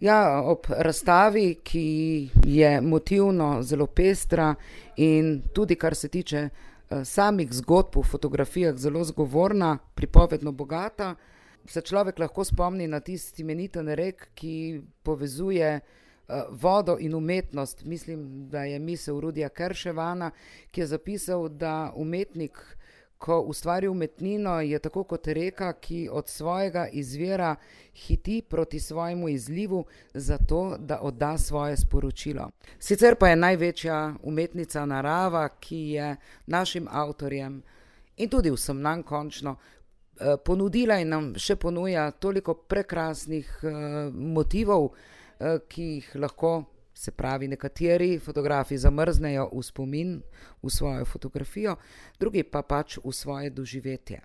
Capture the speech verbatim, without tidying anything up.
Ja, ob razstavi, ki je motivno zelo pestra in tudi kar se tiče samih zgodb v fotografijah zelo zgovorna, pripovedno bogata, se človek lahko spomni na tisti imeniten rek, ki povezuje vodo in umetnost. Mislim, da je misel Rudija Kerševana, ki je zapisal, da umetnik, ko ustvari umetnino, je tako kot reka, ki od svojega izvira hiti proti svojemu izlivu, zato da odda svoje sporočilo. Sicer pa je največja umetnica narava, ki je našim avtorjem in tudi vsem nam končno ponudila in nam še ponuja toliko prekrasnih motivov, ki jih lahko, se pravi, nekateri fotografi zamrznejo v spomin, v svojo fotografijo, drugi pa pač v svoje doživetje.